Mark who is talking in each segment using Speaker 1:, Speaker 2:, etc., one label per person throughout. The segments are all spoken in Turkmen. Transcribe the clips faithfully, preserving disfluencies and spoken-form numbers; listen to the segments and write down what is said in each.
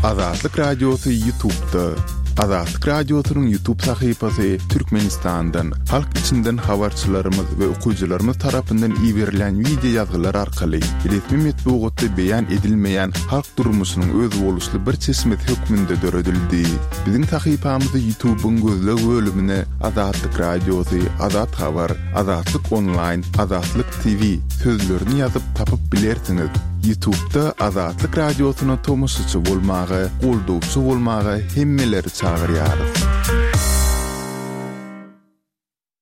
Speaker 1: Azatlyk Radiosy YouTube'da. Azatlyk Radiosynyň YouTube sahypasy Türkmenistandan, halk içinden habarçylarymyz we okyjylarymyz tarapyndan iberilen wideo ýazgylar arkaly resmi metbugatda beýan edilmeýän halk durmuşynyň özboluşly bir çeşmesi hökmünde döredildi. Biziň sahypamyzy YouTube'yň gözleg bölümine Azatlyk Radiosy, Azat Habar, Azatlyk Online, Azatlyk T V sözlerini ýazyp tapyp bilersiňiz. YouTube'da Azatlyk Radiosyna tomaşaçy bolmaga, goldawçy bolmaga hemmeleri çagyrýarys.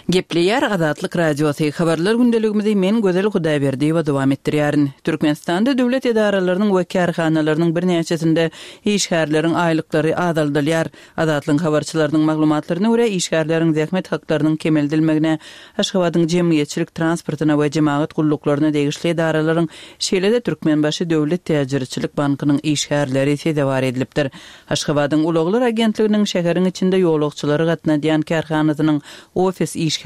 Speaker 2: Gepleýär Azatlyk Radiosy. Habarlar gündeligimizi men Gözel Hudaýberdiýewa dowam etdirýärin. Türkmenistanda döwlet edaralarynyň we kärhanalarynyň birnäçesinde işgärleriň aýlyklary azaldylýar. Azatlygyň habarçylarynyň maglumatlaryna görä, işgärleriň zähmet haklarynyň kemeldilmegine, Aşgabadyň jemgyýetçilik transportyna we jemagat gulluklaryna degişli edaralaryň, şeýle-de Türkmenbaşy döwlet täjirçilik bankynyň işgärleri sezewar edilipdir. Aşgabadyň ulaglar agentliginiň şäheriň içinde ýolagçylary gatnadýan kärhanasynyň ofis işgärleriniň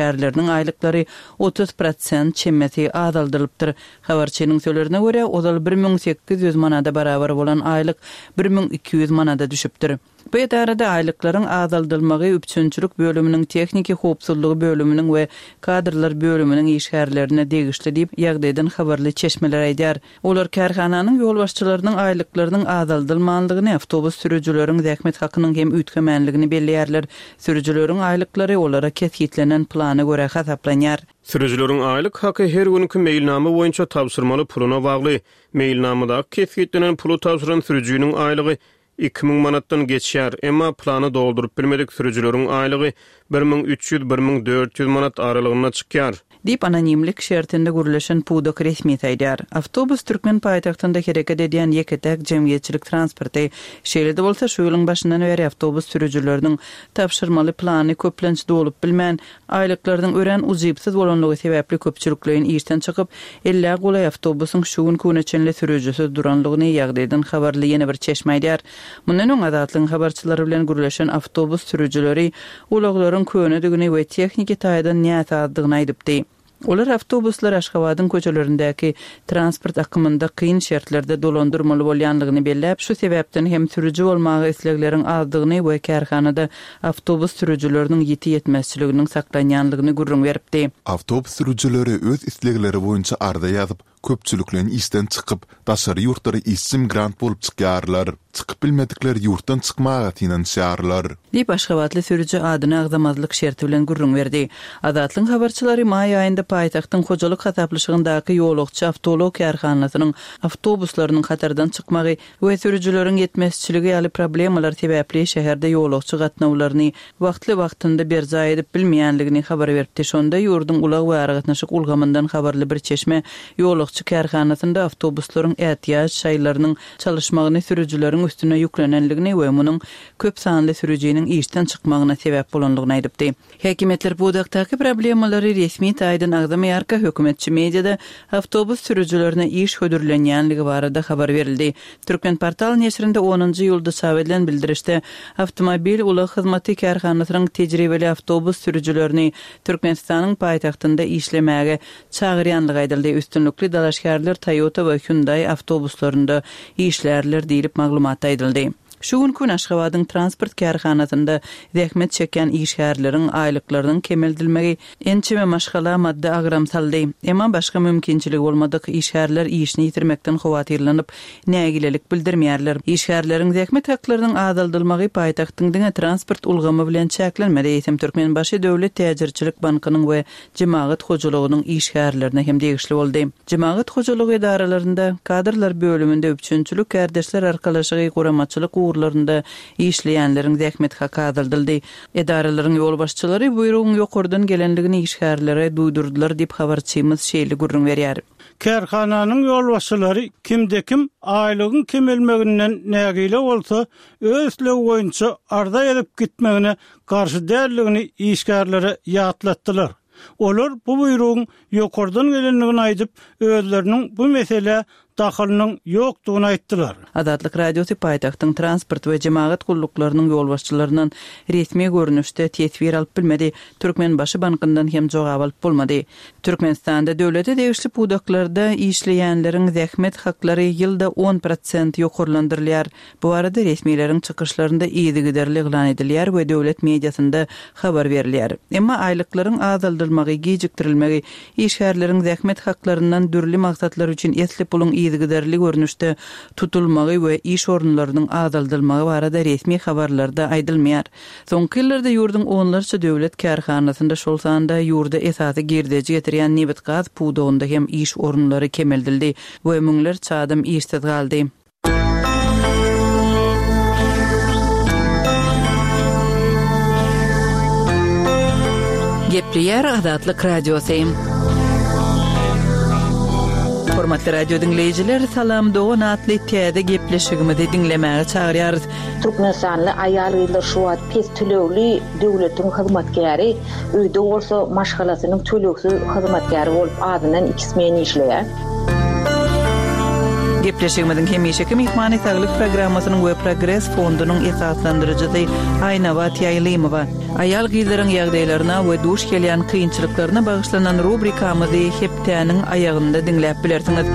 Speaker 2: aýlyklary otuz prosent çemesi azaldylypdyr. Habarçynyň sözlerine görä, ozal bir müň sekiz ýüz manada barabar bolan aýlyk bir müň iki ýüz manada düşüpdir. Bu edarada aýlyklaryň azaldylmagy üpjünçilik bölüminiň, tehniki howpsuzlygy bölüminiň we kadrlar bölüminiň işgärlerine degişli diýip, ýagdaýdan habarly çeşmeler aýdýar. Olar kärhananyň ýolbaşçylarynyň aýlyklarynyň azaldylmanlygyny, awtobus sürüjileriň zähmet hakynyň hem üýtgemänligini belleýärler. Sürüjileriň aýlyklary olara kesgitlenen plana görä hasaplanýar.
Speaker 3: Sürüjileriň aýlyk haky her günki meýilnama boýunça tabşyrmaly puluna bagly. Meýilnamadaky kesgitlenen puly tabşyran sürüjiniň aýlygy iki müň manatdan geçýär, emma plany dolduryp bilmedik sürüjileriň aýlygy bir müň üç ýüz, bir müň dört ýüz manat aralygynda çykýar.
Speaker 2: Diýip anonimlik şertinde gürleşen pudak resmi aýdýar. Awtobus türkmen paýtagtynda hereket edýän ýeke-täk jemgyýetçilik transporty. Şeýle-de bolsa şu ýylyň başyndan bäri awtobus sürüjileriniň tabşyrmaly plany köplenç dolup bilmän, aýlyklarynyň örän ujypsyz bolanlygy sebäpli köpçülikleýin işden çykyp, ellä golaý awtobusyň şu gün güne çenli sürüjisiz duranlygyny ýagdaýdan habarly ýene bir çeşme aýdýar. Mundan öň Azatlygyň habarçylary bilen gürleşen awtobus sürüjileri ulaglaryň könedigini we tehniki taýdan näsazdygyny aýdypdy. Olar awtobuslar Aşgabadyň köçelerindäki transport akymynda kyn şertlerde dolandyrmaly bolýanlygyny belläp, şu sebäpden hem sürüji bolmaga islegleriň azdygyny we kärhanada awtobus sürüjileriniň ýiti ýetmezçiliginiň saklanýanlygyny gürrüň beripdi.
Speaker 1: Awtobus sürüjileri öz islegleri boýunça arza ýazyp, köpçülikleýin işden çykyp, daşary ýurtlara işçi migrant bolup çykýarlar. Çykyp bilmedikler ýurtdan çykmaga synanyşýarlar.
Speaker 2: Diýip Aşgabatly sürüji adyny agzamazlyk şerti bilen gürrüň berdi. Azatlygyň habarçylary maý aýynda paýtagtyň hojalyk hasaplaşygyndaky ýolagçy awtoulag kärhanasynyň awtobuslarynyň hatardan çykmagy we sürüjileriň ýetmezçiligi ýaly problemalar sebäpli şäherde ýolagçy gatnawlaryny wagtly-wagtynda berjaý edip bilmeýänligini habar beripdi. Şonda ýurduň ulag we aragatnaşyk ulgamyndan habarly bir çeşme ýolagçy kärhanasynda awtobuslaryň ätiýaç şaýlarynyň çalyşmagyny sürüjileriň üstüne ýüklenenligini we munuň köp sanly sürüjiniň işden çykmagyna sebäp bolanlygyny aýdypdy. Häkimiýetler pudakdaky problemalary resmi taýdan agzamaýarka hökümetçi mediada awtobus sürüjilerine iş hödürlenýänligi barada habar berildi. Türkmen portal neşirinde onunjy ýylda çap edilen bildirişde awtomobil ulag hyzmaty kärhanasynyň tejribeli awtobus sürüjilerini Türkmenistanyň paýtagtynda işlemäge çagyrýanlygy aýdyldy. Üstünlikli dalaşgärler Toyota we Hyundai awtobuslarynda işlärler diýlip maglumat aýdyldy. Şu gün gün Aşgabadyň transport kärhanasynda zähmet çekýän işgärleriň aýlyklarynyň kemeldilmegi ençeme maşgala maddy agram saldy. Emma başga mümkinçiligi bolmadyk işgärler işini ýitirmekden howatyrlanyp nägilelik bildirmeýärler. Işgärleriň zähmet haklarynyň azaldylmagy paýtagtyň diňe transport ulgamy bilen çäklenmedi. Eýsem Türkmenbaşy döwlet täjirçilik bankynyň we jemagat hojalygynyň işgärlerine hem degişli boldy. Jemagat hojalygy edaralarynda kadrlar bölüminde üpjünçilik kärdeşler arkalaşygy guramaçylyk ugurlarynda işleýänleriň zähmet haky azaldyldy. Edaralaryň ýolbaşçylary buýrugyň ýokardan gelenligini işgärlere duýdurdylar diýip habarçymyz şeýle gürrüň berýär.
Speaker 4: Kärhananyň ýolbaşçylary kimde kim aýlygyň kemelmeginden nägile bolsa, öz islegi boýunça arza edip gitmegine garşy däldigini işgärlere ýatlatdylar. Olar bu buýrugyň ýokardan gelendigini aýdyp, özleriniň bu mesele dahylynyň ýokdugyny aýtdylar.
Speaker 2: Azatlyk Radiosy paýtagtyň transport we jemagat gulluklarynyň ýolbaşçylaryndan resmi görnüşde teswir alyp bilmedi. Türkmenbaşy bankyndan hem jogap alyp bolmady. Türkmenistanda döwlete degişli pudaklarda işleýänleriň zähmet haklary ýylda on prosent ýokarlandyrylýar. Bu barada resmileriň çykyşlarynda yzygiderli yglan edilýär we döwlet mediasynda habar berilýär. Emma aýlyklaryň azaldylmagy, gijikdirilmegi, işgärleriň zähmet haklaryndan dürli maksatlar üçin esli puluň yzygiderli görnüşde tutulmagy we iş orunlarynyň azaldylmagy barada resmi habarlarda aýdylmaýar. Soňky ýyllarda ýurduň onlarça döwlet kärhanasynda, şol sanda ýurda esasy girdeji getirýän nebit-gaz pudagynda hem iş orunlary kemeldildi we müňlerçe adam işsiz galdy. Gepleýär Azatlyk Radiosy. Hormatly radio diňleýjiler, Salam Dogan atly täze gepleşigimizi diňlemäge çagyrýarys.
Speaker 5: Türkmenistanly aýal-gyzlar şu wagt pes tölegli döwletiň hyzmatkäri, öýde bolsa maşgalasynyň tölegsiz hyzmatkäri bolup azyndan iki smen işleýär.
Speaker 2: Gepleşigimiziň hemişeki myhmany Saglyk programmasynyň we Progres fondunyň esaslandyryjysy Aýnabat Ýaýlymowa. Aýal-gyzlaryň ýagdaýlaryna we duş gelýän kynçylyklaryna bagyşlanan rubrikamyzy hepdäniň aýagynda diňläp bilersiňiz.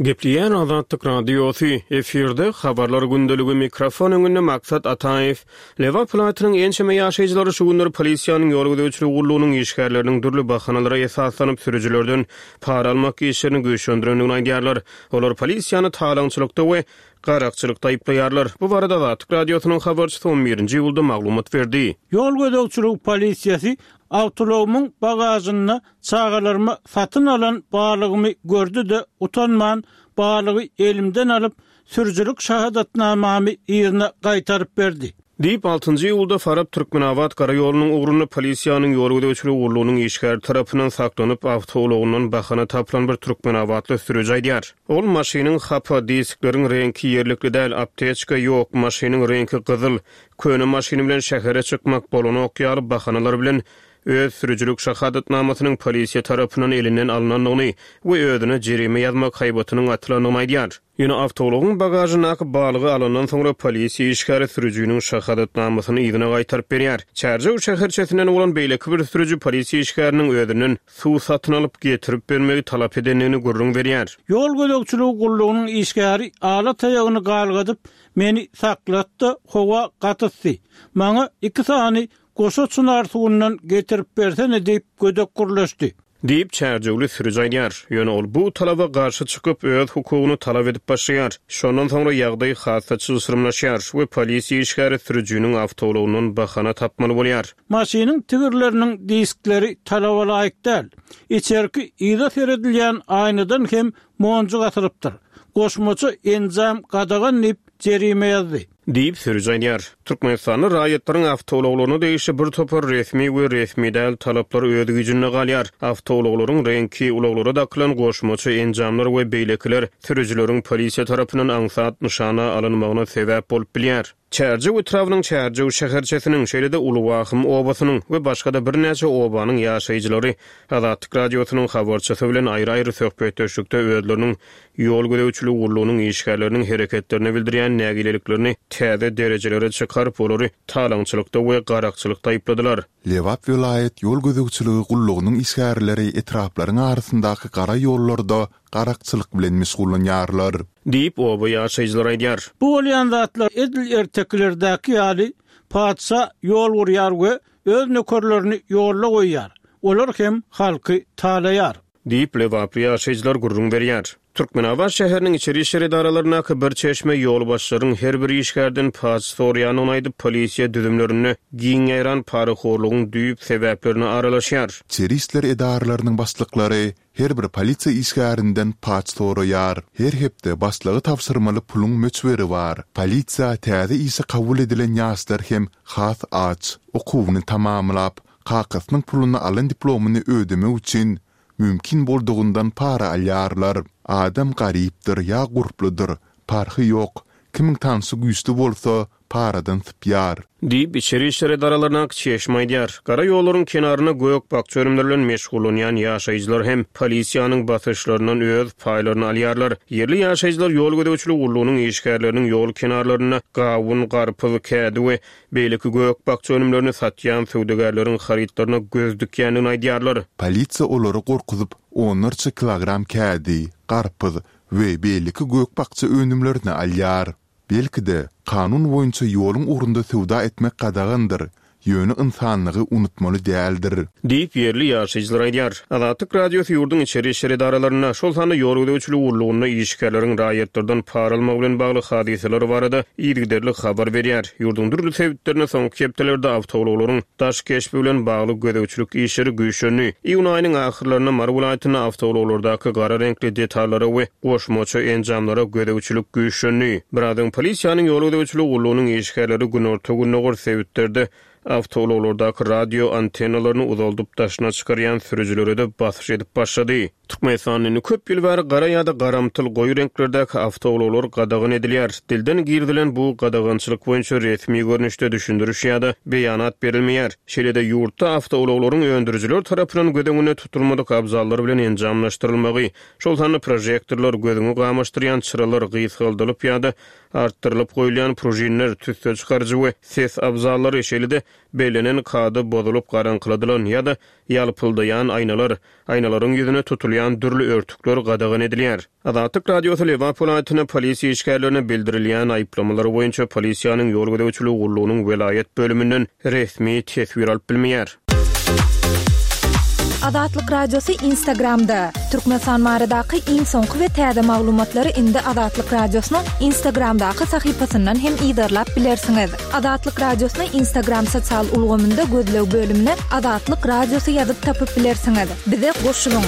Speaker 3: Gepleýän Azatlyk Radiosy, efirde habarlar gündeligi, mikrofon öňünde Maksat Ataýew. Lebap welaýatynyň ençeme ýaşaýjylary şu günler polisiýanyň ýol gözegçiligi gullugynyň işgärleriniň dürli bahanalara esaslanyp sürüjilerden para almak işlerini güýçlendirendigini aýdýarlar. Olar polisiýany talaňçylykda we garakçylykda aýyplaýarlar. Bu barada Azatlyk Radiosynyň habarçysy on birinji iýulda maglumat berdi.
Speaker 4: Ýol gözegçiligi polisiýasy awtoulagymyň bagajynda çagalaryma satyn alan balygymy gördi-de utanman balygy elimden alyp sürüjilik şahadatnamamy ýerine gaýtaryp berdi.
Speaker 3: Diýip, altynjy iýulda Farap Türkmenabat gara ýolunyň ugrunda polisiýanyň ýol gözegçiligi gullugynyň işgäri tarapyndan saklanyp, awtoulagyndan bahana tapylan bir türkmenabatly sürüji aýdýar. Ol maşynyň hapa, diskleriň reňki ýerlikli däl, apteçka ýok, maşynyň reňki gyzyl, köne maşyny bilen şähere çykmak bolanok ýaly bahanalar bilen öz sürüjilik şahadatnamasynyň polisiýa tarapyndan elinden alynandygyny we özüne jerime ýazmak haýbatynyň atylandygyny aýdýar. Ýöne awtoulagyň bagajyndaky balygy alandan soňra polisiýa işgäri sürüjiniň şahadatnamasyny yzyna gaýtaryp berýär. Çärjew şäherçesinden bolan beýleki bir sürüji polisiýa işgäriniň özünden suw satyn alyp getirip bermegi talap edendigini gürrüň berýär.
Speaker 4: Ýol gözegçiligi gullugynyň işgäri ala taýagyny galgadyp, meni saklatdy, howa gatytdy. Maňa iki sany goşa çynar suwundan getirip bersene diýip gödek gurlaşdy.
Speaker 3: Diýip Çärjewli sürüji aýdýar. Ýöne ol bu talaba garşy çykyp öz hukugyny talap edip başlaýar. Şondan soňra ýagdaý hassa çylşyrymlaşýar we polisiýa işgäri sürüjiniň awtoulagyndan bahana tapmaly bolýar.
Speaker 4: Maşynyň tigirleriniň diskleri talaba laýyk däl. Içerki yza seredilýän aýnadan hem monjuk atylypdyr. Goşmaça enjam gadagan diýip jerime ýazdy.
Speaker 3: Diýip sürüji aýdýar. Türkmenistanda raýatlaryň awtoulaglaryna degişli bir topar resmi we resmi däl talaplar öz güýjünde galýar. Awtoulaglaryň reňki, ulaglara dakylan goşmaça enjamlar we beýlekiler sürüjileriň polisiýa tarapyndan aňsat nyşana alynmagyna sebäp bolup bilýär. Çärjew etrabynyň Çärjew şäherçesiniň, şeýle-de Ulywahym obasynyň we başga-da birnäçe obanyň ýaşaýjylary Azatlyk Radiosynyň habarçysy bilen aýry-aýry söhbetdeşlikde özleriniň ýol gözegçiligi gullugynyň işgärleriniň hereketlerine bildirýän nägileliklerini täze derejelere çykaryp, olary talaňçylykda we garakçylykda aýypladylar.
Speaker 1: Lebap welaýat ýol gözegçiligi gullugynyň işgärleri etraplaryň arasyndaky gara ýollarda garakçylyk bilen meşgullanýarlar.
Speaker 3: Diýip oba ýaşaýjylary aýdýar.
Speaker 4: Bu bolýan zatlar edil ertekilerdäki ýaly patyşa ýol gurýar we öz nökerlerini ýolla goýýar. Olar hem halky talaýar.
Speaker 3: Diýip Lebaply ýaşaýjylar gürrüň berýär. Türkmenabat şäheriniň içeri işler edaralaryndaky bir çeşme ýolbaşçylaryň her bir işgärden paç soraýandygyny aýdyp, polisiýa düzümlerinde giň ýaýran parahorlugyň düýp sebäplerine aralaşýar.
Speaker 1: İçeri işler edaralarynyň başlyklary her bir polisiýa işgärinden paç soraýar. Her hepde başlygy tabşyrmaly puluň möçberi bar. Polisiýa täze işe kabul edilen ýaşlar hem has aç, okuwyny tamamlap, kakasynyň puluny alan diplomyny ödemek üçin mümkin boldugyndan para alýarlar. Adam garypdyr ýa gurpludyr, parhy ýok. Kimiň tanşy güýçli bolsa, paradan sypýar.
Speaker 3: Diýip, içeri işler edaralaryndaky çeşme aýdýar. Gara ýollaryň kenarynda gök-bakja önümleri bilen meşgullanýan ýaşaýjylar hem polisiýanyň basyşlaryndan öz paýlaryny alýarlar. Ýerli ýaşaýjylar ýol gözegçiligi gullugynyň işgärleriniň ýol kenarlarynda gawun, garpyz, kädi we beýleki gök-bakja önümlerini satýan söwdagärleriň harytlaryna göz dikýändigini aýdýarlar.
Speaker 1: Polisiýa olary gorkuzyp, onlarça kilogram kädi, garpyz we beýleki gök-bakja önümlerini alýar. Belki-de, kanun boýunça ýoluň ugrunda söwda etmek gadagandyr, ýöne ynsanlygy unutmaly däldir.
Speaker 3: Diýip, ýerli ýaşaýjylar aýdýar. Azatlyk Radiosy ýurduň içeri işler edaralarynda, şol sanda ýol gözegçiligi gullugynda işgärleriň raýatlardan para almagy bilen bagly hadysalar barada yzygiderli habar berýär. Ýurduň dürli sebitlerinde soňky hepdelerde awtoulaglaryň daş keşbi bilen bagly gözegçilik işleri güýçlendi. Iýun aýynyň ahyrlarynda Mary welaýatynda awtoulaglardaky gara reňkli detallara we goşmaça enjamlara gözegçilik güýçlendi. Biraz öň polisiýanyň ýol gözegçiligi gullugynyň işgärleri günorta-gündogar sebitlerde awtoulaglardaky radio antennalaryny uzaldyp daşyna çykarýan sürüjilere-de basyş edip başlady. Türkmenistanda indi köp ýyl bäri gara ýa-da garamtyl goýy reňklerdäki awtoulaglar gadagan edilýär. Dilden girizilen bu gadagançylyk boýunça resmi görnüşde düşündiriş ýa-da beýanat berilmeýär. Şeýle-de ýurtda awtoulaglaryň öndürijiler tarapyndan göz öňünde tutulmadyk abzallar bilen enjamlaşdyrylmagy, şol sanda prožektorlar, gözüňi gamaşdyrýan çyralar, gysgaldylyp ýa-da artdyrylyp goýulýan pružinler, tüsse çykaryjy we ses abzallary, şeýle-de bellenen kada bozulyp garaňkyladylan ýa-da ýalpyldaýan aýnalar, aýnalaryň ýüzüne tutulýan dürli örtükler gadagan edilýär. Azatlyk Radiosy Lebap welaýatynda polisiýa işgärlerine bildirilýän aýyplamalar boýunça polisiýanyň ýol gözegçiligi gullugynyň welaýat bölüminden resmi teswir alyp bilmeýär.
Speaker 6: Azatlyk Radiosy Instagramda. Türkmenistan baradaky iň soňky we täze maglumatlary indi Azatlyk Radiosynyň Instagramdaky sahypasyndan hem yzarlap bilersiňiz. Azatlyk Radiosyny Instagram sosial ulgamynda gözleg bölümine Azatlyk Radiosy ýazyp tapyp bilersiňiz. Bize goşulyň.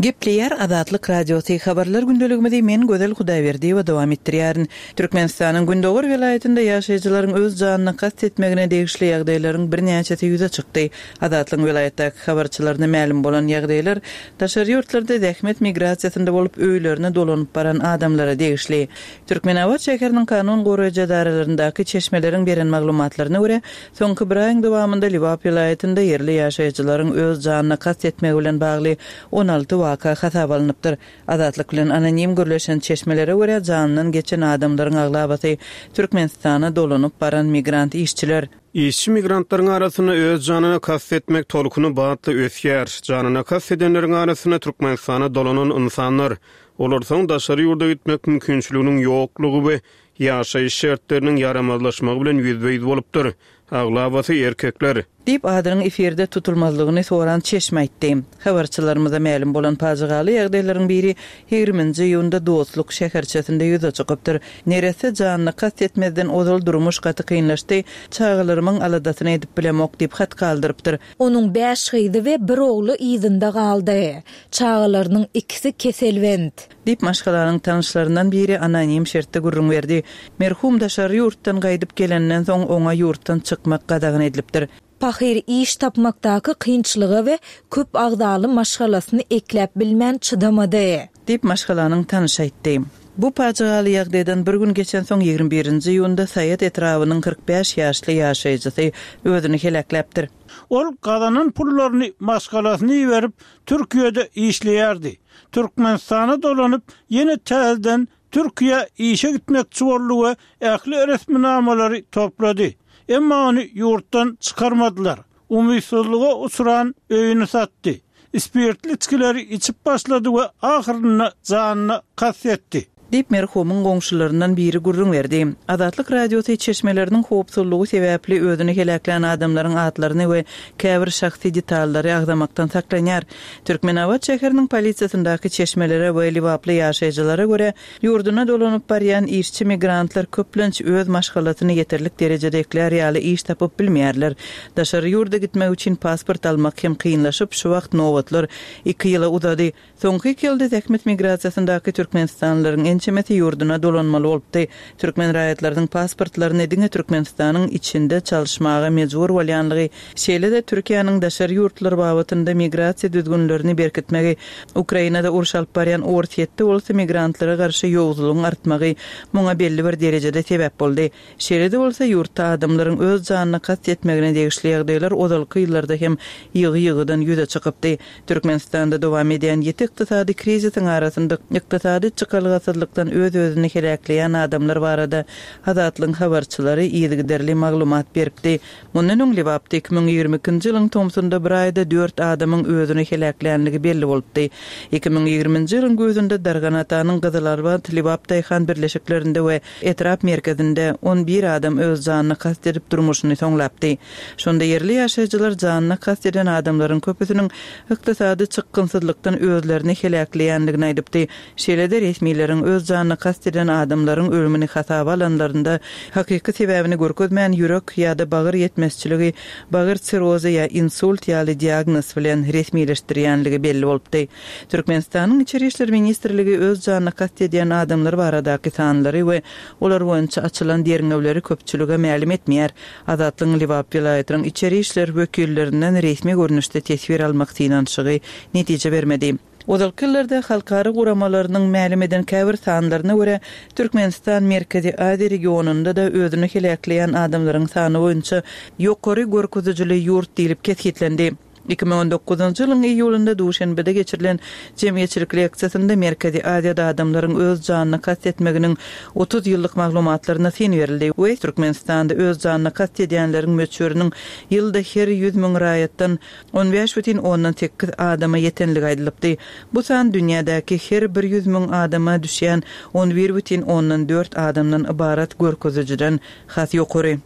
Speaker 2: Gepleýär Azatlyk Radiosy habarlar gündeligimizi men Gözel Hudaýberdiýewa dowam etdirýärin. Türkmenistanyň Gündogar welaýatynda ýaşaýjylaryň öz janyna kast etmegine degişli ýagdaýlaryň birnäçesi ýüze çykdy. Azatlyk welaýatdaky habarçylaryna mälim bolan ýagdaýlar daşary ýurtlarda zähmet migrasiýasynda bolup öýlerine dolanyp baran adamlara degişli. Türkmenabat şäheriniň kanun goraýjy edaralaryndaky çeşmeleriň beren maglumatlaryna görä, soňky bir aýyň dowamynda Lebap welaýatynda ýerli ýaşaýjylaryň öz janyna kast etmegi bilen bagly on alty waka hasap alnypdyr. Azatlyk bilen anonim gürleşen çeşmelere görä, janyndan geçen adamlaryň aglabasy Türkmenistana dolanyp baran migrant işçiler.
Speaker 3: Işçi migrantlaryň arasynda öz janyna kast etmek tolkuny batly ösýär. Janyna kast edenleriň arasynda Türkmenistana dolanan insanlar, olar soň daşary ýurda gitmek mümkinçiliginiň ýoklugy we ýaşaýyş şertleriniň ýaramazlaşmagy bilen ýüzbe-ýüz bolupdyr. Aglabasy erkekler.
Speaker 2: Diýip adynyň efirde tutulmazlygyny soran çeşme aýtdy. Habarçylarymyza mälim bolan pajygaly ýagdaýlaryň biri ýigriminji iýunda Dostluk şäherçesinde ýüze çykypdyr. Neresse janyna kast etmezden ozal durmuş gaty kynlaşdy, çagalarymyň aladasyny edip bilemok diýip hat galdyrypdyr.
Speaker 6: Onuň bäş gyzy we bir ogly yzynda galdy. Çagalarynyň ikisi keselbent.
Speaker 2: Diýip maşgalanyň tanyşlaryndan biri anonim şertde gürrüň berdi. Merhum daşary ýurtdan gaýdyp gelenden soň oňa ýurtdan çykmak gadagan edilipdir.
Speaker 6: Pahyr iş tapmakdaky kynçylyga we köp agzaly maşgalasyny ekläp bilmän çydamady.
Speaker 2: Diýip maşgalanyň tanyşy aýtdy. Bu pajygaly ýagdaýdan bir gün geçen soň ýigrimi birinji iýunda Saýat etrabynyň kyrk bäş ýaşly ýaşaýjysy özüni heläkläpdir.
Speaker 4: Ol gazanan pullaryny maşgalasyny berip Türkiýede işleýärdi. Türkmenistana dolanyp ýene täzeden Türkiýe işe gitmekçi boldy we ähli resminamalary toplady. Emma ony ýurtdan çykarmadylar. Umytsuzlyga uçran öýüni satdy. Spirtli içgileri içip başlady we ahyrynda janyna kast etdi.
Speaker 2: Diýip merhumyň goňşularyndan biri gürrüň berdi. Azatlyk Radiosy çeşmeleriniň howpsuzlygy sebäpli özüni heläklän adamlaryň atlaryny we käbir şahsy detallary agzamakdan saklanýar. Türkmenabat şäheriniň polisiýasyndaky çeşmelere we Lebaply ýaşaýjylara görä, ýurduna dolanyp barýan işçi migrantlar köplenç öz maşgalasyny ýeterlik derejede eklär ýaly iş tapyp bilmeýärler. Daşary ýurda gitmek üçin pasport almak hem kynlaşyp, şu wagt nobatlar iki ýyla uzady. Soňky iki ýylda zähmet migrasiýasyndaky Türkmenistanlylaryň ençemesi ýurduna dolanmaly bolupdy. Türkmen raýatlarynyň pasportlaryny diňe Türkmenistanyň içinde çalyşmaga mejbur bolýanlygy, şeýle-de Türkiýäniň daşary ýurtlar babatynda migrasiýa düzgünlerini berkitmegi, Ukrainada uruş alyp barýan Orsýetde bolsa migrantlara garşy ýowuzlygyň artmagy muňa belli bir derejede sebäp boldy. Şeýle-de bolsa, ýurtda adamlaryň öz janyna kast etmegine degişli ýagdaýlar ozalky ýyllarda hem ýygy-ýygydan ýüze çykypdy. Türkmenistanda dowam edýän ýiti ykdysady krizisiň arasynda ykdysady çykalgasyzlykdan öz-özüni heläkleýän adamlar barada Azatlygyň habarçylary yzygiderli maglumat beripdi. Mundan öň Lebapda iki müň ýigrimi ikinji ýylyň tomsunda bir aýda dört adamyň özüni heläklänligi belli bolupdy. Iki müň ýigriminji ýylyň güýzünde Darganatanyň Gyzylarbat, Lebap daýhan birleşiklerinde we etrap merkezinde on bir adam öz janyna kast edip durmuşyny soňlapdy. Şonda ýerli ýaşaýjylar janyna kast eden adamlaryň köpüsiniň ykdysady çykgynsyzlykdan özlerini heläkleýändigini aýdypdy. Şeýle-de resmileriň öz janyna kast eden adamlaryň ölümini hasaba alanlarynda hakyky sebäbini görkezmän ýürek ýa-da bagyr ýetmezçiligi, bagyr sirrozy ýa insult ýaly diagnoz bilen resmileşdirýänligi belli bolupdy. Türkmenistanyň Içeri işler ministrligi öz janyna kast edýän adamlar baradaky sanlary we olar boýunça açylan derňewleri köpçülige mälim etmeýär. Azatlygyň Lebap welaýatynyň içeri işler wekillerinden resmi görnüşde teswir almak synanyşygy netije bermedi. Ozalky ýyllarda halkara guramalarynyň mälim eden käbir sanlaryna görä, Türkmenistan Merkezi Aziýa regionynda-da özüni heläkleýän adamlaryň sany boýunça ýokary görkezijili ýurt diýlip kesgitlendi. Iki müň on dokuzynjy ýylyň iýulynda Duşenbede geçirilen jemgyýetçilik leksiýasynda Merkezi Aziýada adamlaryň öz janyna kast etmeginiň otuz ýyllyk maglumatlaryna syn berildi we Türkmenistanda öz janyna kast edýänleriň möçberiniň ýylda her ýüz müň raýatdan on bäş bütin ondan sekiz adama ýetenligi aýdylypdy. Bu san dünýädäki her bir ýüz müň adama düşýän on bir bütin ondan dört adamdan ybarat görkezijiden has ýokary.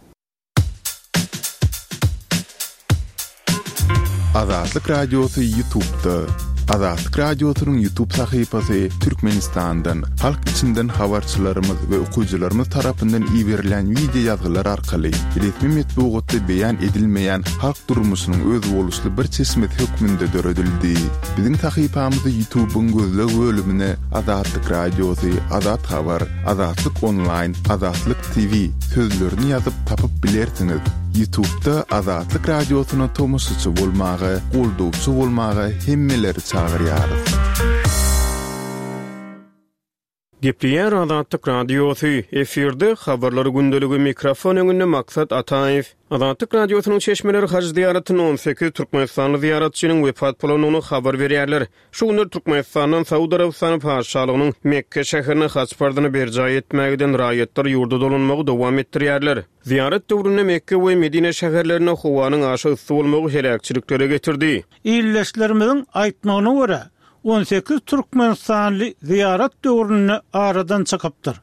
Speaker 1: Azatlyk Radiosy YouTube'da. Azatlyk Radiosynyň YouTube sahypasy Türkmenistandan, halk içinden habarçylarymyz we okyjylarymyz tarapyndan iberilen wideo ýazgylar arkaly resmi metbugatda beýan edilmeýän halk durmuşynyň özboluşly bir çeşmesi hökmünde döredildi. Biziň sahypamyzy YouTube'yň gözleg bölümine Azatlyk Radiosy, Azat Habar, Azatlyk Online, Azatlyk T V sözlerini ýazyp tapyp bilersiňiz. YouTube'da Azatlyk Radiosyna tomaşaçy bolmaga, goldawçy bolmaga hemmeleri çagyrýarys.
Speaker 3: Gepleýär Azatlyk Radiosy, efirde habarlar gündeligi, mikrofon öňünde Maksat Ataýew. Azatlyk Radiosynyň çeşmeleri haj zyýaratyny on sekiz Türkmenistanly zyýaratçynyň wepat bolandygyny habar berýärler. Şu günler Türkmenistandan Saud Arabystany Patyşalygynyň Mekke şäherine haç parzyny berjaý etmäge giden raýatlar ýurda dolanmagy dowam etdirýärler. Zyýarat döwründe Mekke we Medine şäherlerinde howanyň aşa yssy bolmagy heläkçiliklere getirdi.
Speaker 4: Illeşlerimiziň aýtmagyna görä, on sekiz Türkmenistanly zyýarat döwründe aradan çykypdyr.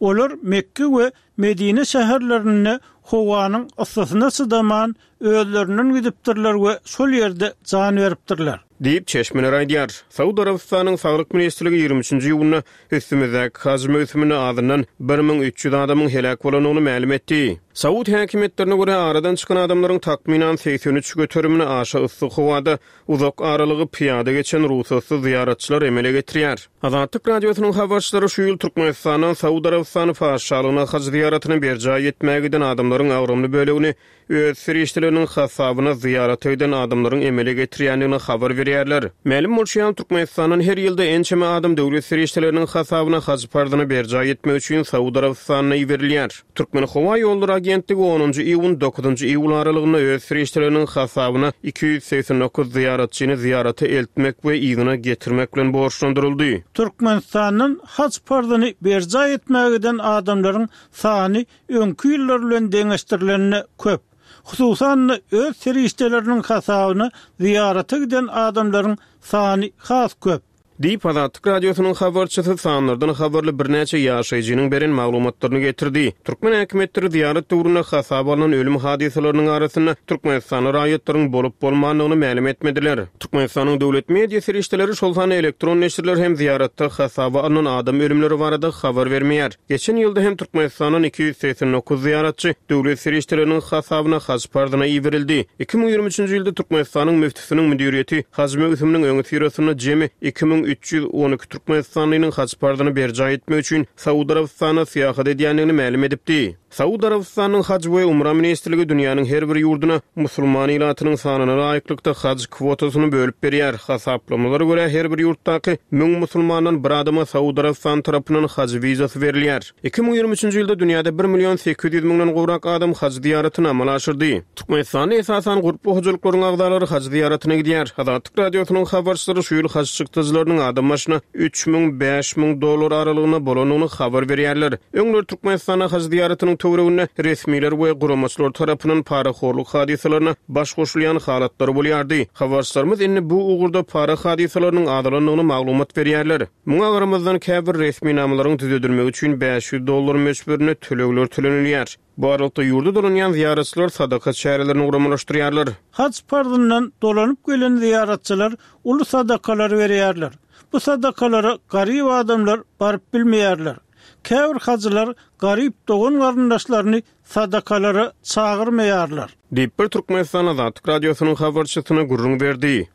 Speaker 4: Olar Mekke we Medine şäherlerinde howanyň yssysyna çydaman özlerinden gidipdirler we şol ýerde jan beripdirler.
Speaker 3: Diýip çeşmeler aýdýar. Saud Arabystanyň Saglyk Ministrligi ýigrimi üçünji iýunda üstümizdäki haj möwsüminde azyndan bir müň üç ýüz adamyň heläk bolandygyny mälim etdi. Saud häkimiýetlerine görä aradan çykan adamlaryň takmynan segsen üç göterimini aşa yssy howada uzak aralygy pyýada geçen rugsatsyz zyýaratçylar emele getirýär. Azatlyk Radiosynyň habarçylary şu ýyl Türkmenistandan Saud Arabystany Patyşalygyna haj zyýaratyny berjaý etmäge giden adamlaryň agramly bölegini öz serişdeleriniň hasabyna zyýarata giden adamlaryň emele getirýändigini habar berýärler. Mälim bolşy ýaly, Türkmenistandan her ýylda ençeme adam döwlet serişdeleriniň hasabyna haj parzyny berjaý etmek üçin Saud Arabystanyna iberilýär. Türkmen Howa Ýollary Agentligi onunjy iýun dokuzynjy iýul aralygynda öz serişdeleriniň hasabyna iki ýüz segsen dokuz zyýaratçyny zyýarata eltmek we yzyna getirmek bilen borçlandyryldy.
Speaker 4: Türkmenistandan hac parzyny berjaý etmäge giden adamlaryň sany öňki ýyllar bilen deňeşdirilenine köp. Hususan öz serişdeleriniň hasabyna zyýarata giden adamlaryň sany has köp.
Speaker 3: Diýip Azatlyk Radiosynyň habarçysy sanlardan habarly birnäçe ýaşaýjynyň beren maglumatlaryny getirdi. Türkmen häkimiýetleri zyýarat döwründe hasaba alnan ölüm hadysalarynyň arasynda Türkmenistanly raýatlaryň bolup bolmandygyny mälim etmediler. Türkmenistanyň döwlet media serişdeleri, şol sanda elektron neşirler hem zyýaratda hasaba alnan adam ölümleri barada habar bermeýär. Geçen ýylda hem Türkmenistandan iki ýüz segsen dokuz zyýaratçy döwlet serişdeleriniň hasabyna hac parzyna iberildi. Iki müň ýigrimi üçünji ýylda Türkmenistanyň müftüsiniň müdiriýeti hac möwsüminiň öňi syrasynda jemi iki müň müň üç ýüz on iki türkmenistanlynyň haj parzyny berjaý etmek üçin Saud Arabystanyna syýahat edýändigini mälim edipdi. Saud Arabystanynyň Haj we Umra ministrligi dünýäniň her bir ýurduna musulman ilatynyň sanyna laýyklykda haj kwotasyny bölüp berýär. Hasaplamalara görä, her bir ýurtdaky müň musulmandan bir adama Saud Arabystany tarapyndan haj wizasy berilýär. Iki müň ýigrimi üçünji ýylda dünýäde bir million sekiz ýüz müňden gowrak adam haj zyýaratyny amala aşyrdy. Türkmenistanda esasan gurply hojalyklaryň agzalary haj zyýaratyna gidýär. Azatlyk Radiosynyň habarçylary şu ýyl haj çykdajylarynyň adam başyna üç müň, bäş müň dollar aralygynda bolandygyny habar berýärler. Öňler Türkmenistanda haj zyýaratynyň töwereginde resmiler we guramaçylar tarapyndan parahorluk hadysalaryna baş goşulýan halatlar bolýardy. Habarçylarymyz indi bu ugurda para hadysalarynyň azalandygyny maglumat berýärler. Muňa garamazdan käbir resminamalaryň düzedilmegi üçin bäş ýüz dollar möçberinde tölegler tölenilýär. Bu aralykda ýurda dolanýan zyýaratçylar sadaka çärelerini guramalaşdyrýarlar.
Speaker 4: Haj parzyndan dolanyp gelen zyýaratçylar uly sadakalar berýärler. Bu sadakalara garyp adamlar baryp bilmeýärler. Käbir hajylar garyp dogan garyndaşlaryny sadakalara çagyrmaýarlar.
Speaker 3: Diýip bir Türkmenistan Azatlyk Radiosynyň habarçysyna gürrüň berdi.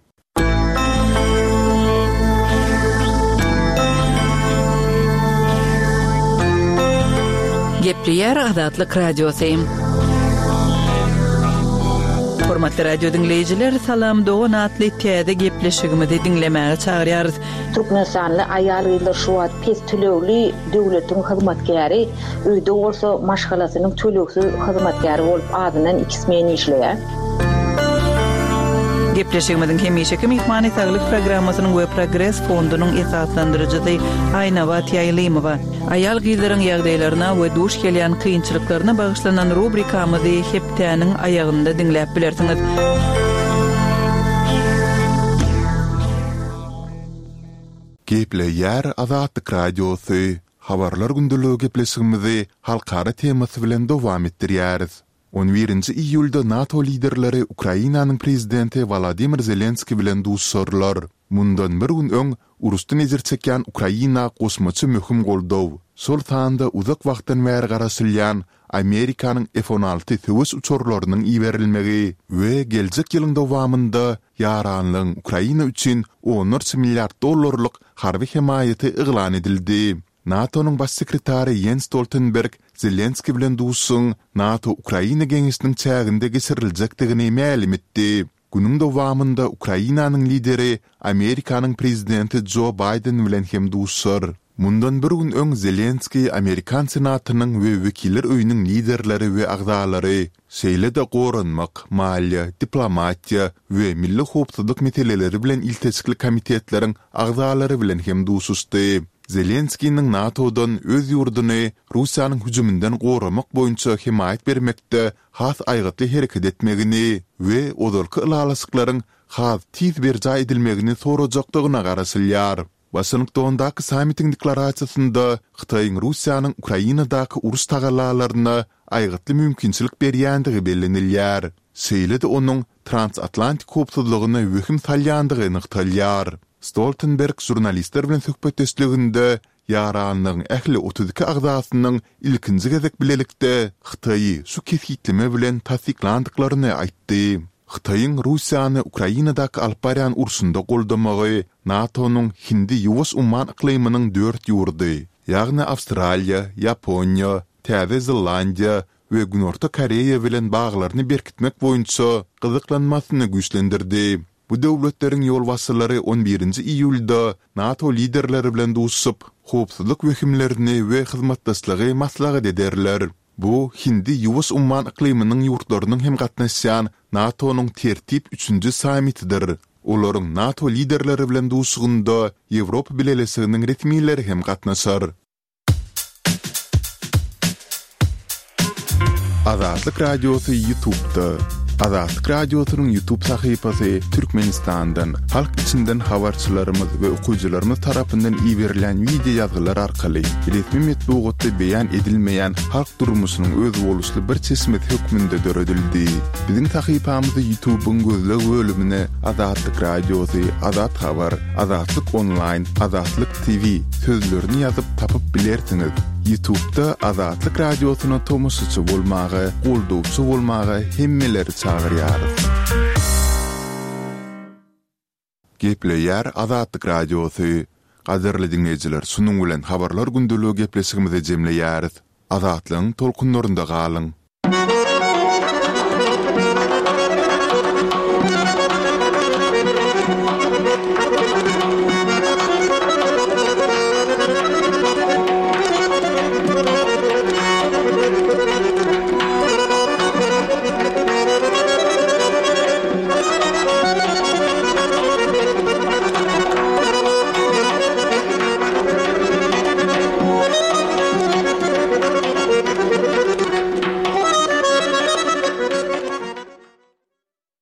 Speaker 2: Gepleýär Azatlyk Radiosy. Hormatly radio diňleýjiler, Salam dogan atly täze gepleşigimizi diňlemäge çagyrýarys.
Speaker 5: Türkmenistanly aýal-gyzlar şu wagt pes tölegli döwletiň hyzmatkäri, öýde bolsa maşgalasynyň tölegsiz hyzmatkäri bolup azyndan iki smen işleýär.
Speaker 2: Gepleşigimiziň hemişeki myhmany Saglyk programmasynyň we Progres fondunyň esaslandyryjysy Aýnabat Ýaýlymowa. Aýal-gyzlaryň ýagdaýlaryna we duş gelýän kynçylyklaryna bagyşlanan rubrikamyzy hepdäniň aýagynda diňläp bilersiňiz.
Speaker 1: Gepleýär Azatlyk Radiosy. Habarlar gündeligi gepleşigimizi halkara temasy bilen dowam etdirýäris. On birinji iýulda NATO liderleri Ukrainanyň prezidenti Wolodymyr Zelenskiý bilen duşuşarlar. Mundan bir gün öň uruşdan ejir çekýän Ukraina goşmaça möhüm goldaw, şol sanda uzak wagtdan bäri garaşylýan Amerikanyň F on alty söweş uçarlarynyň iberilmegi we geljek ýylyň dowamynda ýaranlygyň Ukraina üçin onlarça milliard dollarlyk harby hemaýaty yglan edildi. NATO-nyň baş sekretary Jens Stoltenberg Zelenskiý bilen duşuşygyň NATO-Ukraina geňeşiniň çäginde geçiriljekdigini mälim etdi. Günüň dowamynda Ukrainanyň lideri Amerikanyň prezidenti Jo Baýden bilen hem duşuşar. Mundan bir gün öň Zelenskiý Amerikan Senatynyň we Wekiller öýüniň liderleri we agzalary, şeýle-de goranmak, maliýe, diplomatiýa we milli howpsuzlyk meseleleri bilen ilteşikli komitetleriň agzalary bilen hem duşuşdy. Zelenskiniň NATO-dan öz ýurduny Russiýanyň hüjüminden goramak boýunça hemaýat bermekde has aýgytly hereket etmegini we ozalky ylalaşyklaryň has tiz berjaý edilmegini sorajakdygyna garaşylýar. Waşingtondaky sammitiň deklarasiýasynda Hytaýyň Russiýanyň Ukrainadaky uruş tagallalaryna aýgytly mümkinçilik berýändigi bellenilýär. Şeýle-de onuň transatlantik howpsuzlygyna wehim salýandygy nygtalýar. Stoltenberg žurnalistler bilen söhbetdeşliginde ýaranlygyň ähli otuz iki agzasynyň ilkinji gezek bilelikde Hytaýy şu kesgitleme bilen tassyklandyklaryny aýtdy. Hytaýyň Russiýany Ukrainadaky alyp barýan urşunda goldamagy NATO-nyň Hindi-Ýuwaş umman yklymynyň dört ýurdy, ýagny Awstraliýa, Ýaponiýa, Täze Zelandiýa we Günorta Koreýa bilen baglaryny berkitmek boýunça gyzyklanmasyny güýçlendirdi. Bu döwletleriň ýolbaşçylary on birinji iýulda NATO liderleri bilen duşuşyp, howpsuzlyk wehimlerini we hyzmatdaşlygy maslahat ederler. Bu Hindi-Ýuwaş umman yklymynyň ýurtlarynyň hem gatnaşýan NATO-nyň tertip üçünji sammitidir. Olaryň NATO liderleri bilen duşuşygynda Ýewropa Bileleşiginiň resmileri hem gatnaşar. Azatlyk Radiosy YouTube-da. Azatlyk Radiosynyň YouTube sahypasy Türkmenistandan, halk içinden habarçylarymyz we okyjylarymyz tarapyndan iberilýän wideo ýazgylar arkaly resmi metbugatda beýan edilmeýän halk durmuşynyň özboluşly bir çeşmesi hökmünde döredildi. Biziň sahypamyzy YouTube-yň gözleg bölümine Azatlyk Radiosy, Azat Habar, Azatlyk Onlaýn, Azatlyk T V sözlerini ýazyp tapyp bilersiňiz. YouTube-da Azatlyk Radiosyna tomaşaçy bolmaga, goldawçy bolmaga hemmeleri çagyrýarys. Gepleýär Azatlyk Radiosy. Gadyrly diňleýjiler, şunuň bilen Habarlar gündeligi gepleşigimizi jemleýäris. Azatlygyň tolkunlarynda galyň!